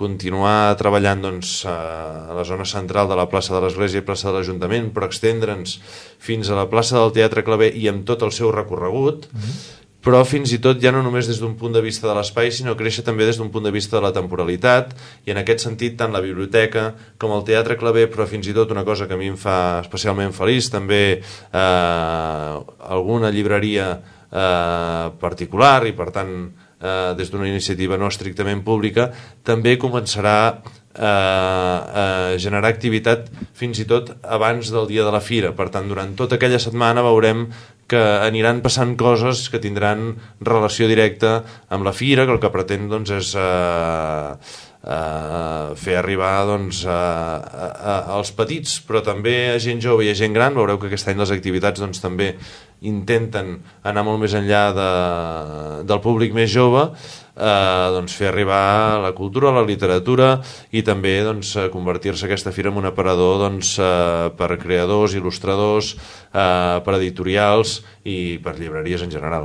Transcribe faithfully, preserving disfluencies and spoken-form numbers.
continuar treballant doncs, a la zona central de la plaça de l'Església i plaça de l'Ajuntament, però extendre'ns fins a la plaça del Teatre Claver i amb tot el seu recorregut, mm-hmm. però fins i tot ja no només des d'un punt de vista de l'espai, sinó créixer també des d'un punt de vista de la temporalitat, i en aquest sentit tant la biblioteca com el Teatre Claver, però fins i tot una cosa que a mi em fa especialment feliç, també eh, alguna llibreria eh, particular, i per tant eh, des d'una iniciativa no estrictament pública, també començarà eh, a generar activitat fins i tot abans del dia de la fira. Per tant, durant tota aquella setmana veurem que aniran passant coses que tindran relació directa amb la fira, que el que pretén doncs, és eh, eh, fer arribar doncs, a, a, als petits, però també a gent jove i a gent gran. Veureu que aquest any les activitats doncs, també intenten anar molt més enllà de, del públic més jove, eh, doncs, fer arribar la cultura, la literatura, i també doncs, convertir-se aquesta fira en un aparador doncs, eh, per creadors, il·lustradors, eh, per editorials i per llibreries en general.